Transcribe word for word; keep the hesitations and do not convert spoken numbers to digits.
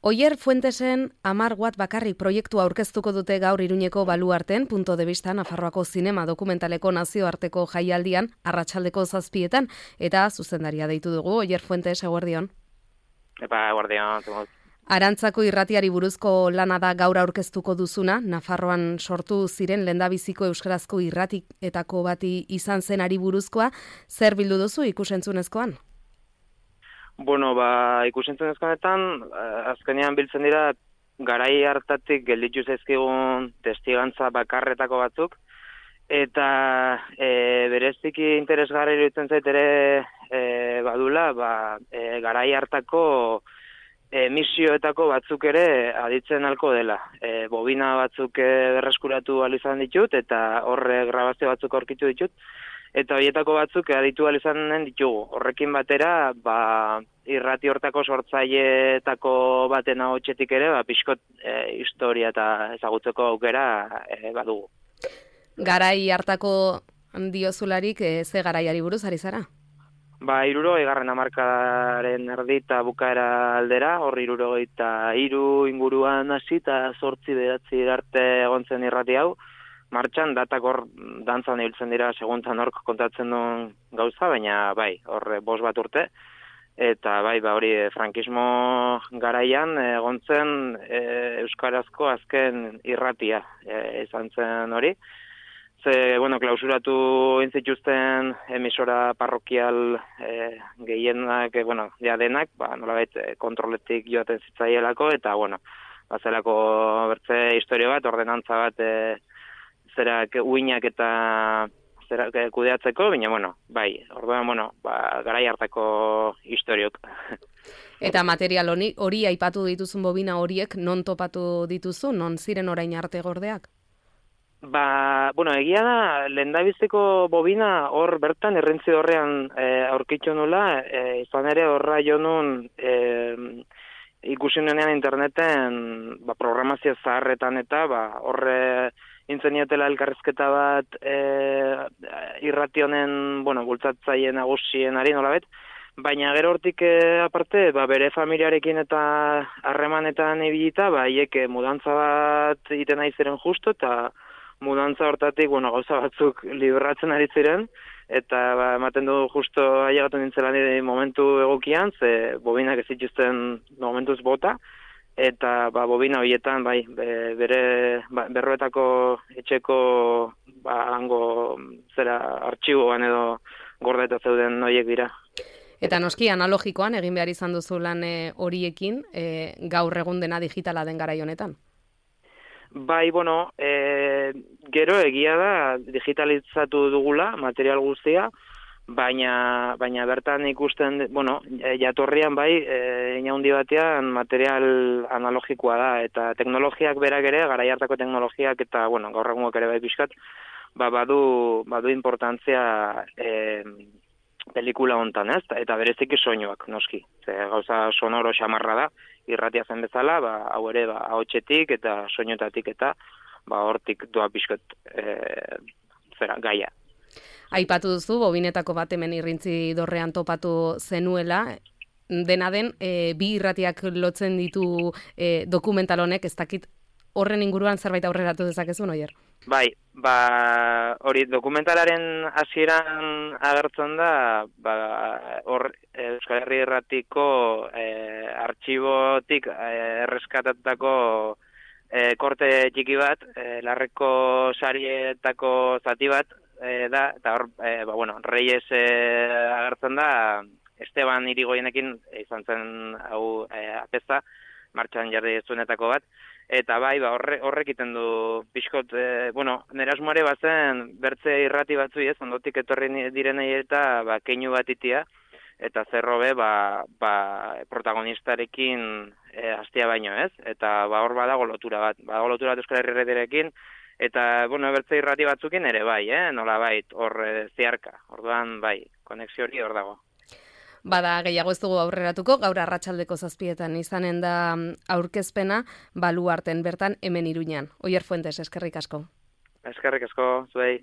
Oier Fuentesen hamar watt bakarrik proiektua aurkeztuko dute gaur Iruñeko Baluarten, punto de vista Nafarroako zinema dokumentaleko nazioarteko jaialdian, arratsaldeko zazpietan, eta zuzendaria deitu dugu. Oier Fuentes, eguerdion. Epa, eguerdion. Arantzako irratiari buruzko lana da gaur aurkeztuko duzuna, Nafarroan sortu ziren lehendabiziko euskarazko irratietako bati izan zenari buruzkoa, zer bildu duzu ikusentzunezkoan? Bueno, ba, ikusentzunezkoanetan, azkenean biltzen dira, garai hartatik gelditu zaizkigun testigantza bakarretako batzuk, eta e, bereziki interesgarri iruditzen zait ere e, badula, ba, e, garai hartako emisioetako batzuk ere aditzen halko dela. E, bobina batzuk e, berreskuratu ahal izan ditut, eta horre grabazio batzuk aurkitu ditut, eta horietako batzuk aditu ahal izanen ditugu. Horrekin batera, ba, irrati hortako sortzaileetako baten ahotsetik ere, ba, pixkot e, historia eta ezagutzeko aukera e, badugu. Garai hartako diozularik, e, ze garaiari buruz ari zara? Ba, iruro, egarren hamarkadaren erdi eta bukaera aldera, hor iruro eta hiru inguruan hasi eta zortzi beratzi arte egon zen irrati hau. Martxan, datak hor dantzan ibiltzen dira seguntan hork kontatzen duen gauza, baina bai, hor bost bat urte. Eta bai, ba, hori frankismo garaian egon zen e, euskarazko azken irratia e, izan zen hori. Ze, bueno, klausuratu intzituzten emisora parrokial e, gehienak, e, bueno, ja denak, ba, nolabait kontroletik joaten zitzaielako, eta, bueno, bazelako bertze historio bat, ordenantza bat, e, zerak uinak eta zerak kudeatzeko, baina, bueno, bai, orduan, bueno, ba, garai hartako historiok. Eta material hori, hori aipatu dituzun bobina horiek, non topatu dituzu, non ziren orain arte gordeak? Ba, bueno, egia da, lehendabiziko bobina hor bertan errentzi horrean e, aurkitzu nula, e, izan ere horra jo nun e, ikusi nuenean interneten ba, programazio zaharretan eta ba, horre intzeniatela elkarrizketa bat e, irrati honen, bueno, bultzatzaile nagusien ari nolabet, baina gero hortik e, aparte, ba, bere familiarekin eta harremanetan ibilita, ba, hiek mudantza bat egiten ari ziren justo, eta mudantza hortatik, bueno, gauza batzuk libratzen ari ziren, eta ba, ematen du justo ailegatu nintzela nire momentu egokian, ze bobinak ez zituzten momentuz bota, eta ba, bobina horietan, bai, bere ba, berroetako etxeko ba, hango zera artxiboan edo gordeta zeuden horiek dira. Eta noski analogikoan egin behar izan duzu lan horiekin, e, gaur egun dena digitala den garai honetan? Bai, bueno, e, gero egia da digitalizatu dugula material guztia, baina, baina bertan ikusten, bueno, jatorrian bai, e, inaundi batean material analogikoa da, eta teknologiak berak ere, garai hartako teknologiak, eta, bueno, gaur egungoak ere bai pixkat, ba, badu, badu importantzia e, pelikula hontan, ez? Eta bereziki soinuak, noski. Ze, gauza sonoro xamarra da, irratia zen bezala, ba, hau ere, ba, ahotsetik eta soinutatik eta ba, hortik doa pixkot e, zera, gaia. Aipatu duzu, bobinetako bat hemen irrintzi dorrean topatu zenuela, dena den, e, bi irratiak lotzen ditu e, dokumental honek, ez dakit horren inguruan zerbait aurreratu dezakezun, Oier? Bai, ba, hori dokumentalaren hasieran agertzen da, ba, hor Euskal Herri Irratiko e, artxibotik e, erreskatatako e, korte txiki bat, e, larreko sarietako zati bat, e, da, eta hor, e, ba, bueno, Reyes e, agertzen da, Esteban Irigoyenekin izan zen hau e, apeza, martxan jarri zuenetako bat, eta bai, ba, horre, horrek iten du pixkot, e, bueno, nire asmoare bazen bertze irrati batzu ez, ondotik etorri direnei eta ba, keinu bat itia, eta zerrobe ba, ba, protagonistarekin e, hastia baino ez, eta ba, hor badago lotura bat, badago lotura bat Euskal Herri Irratiarekin, eta, bueno, bertze irrati batzukin ere bai, eh? Nola bait, hor e, ziarka, orduan bai, konexio hori hor dago. Bada gehiago ez dugu aurreratuko, gaur arratsaldeko zazpietan izanen da aurkezpena Baluarten bertan hemen Iruñan. Oier Fuentes, eskerrik asko. Eskerrik asko, zuei.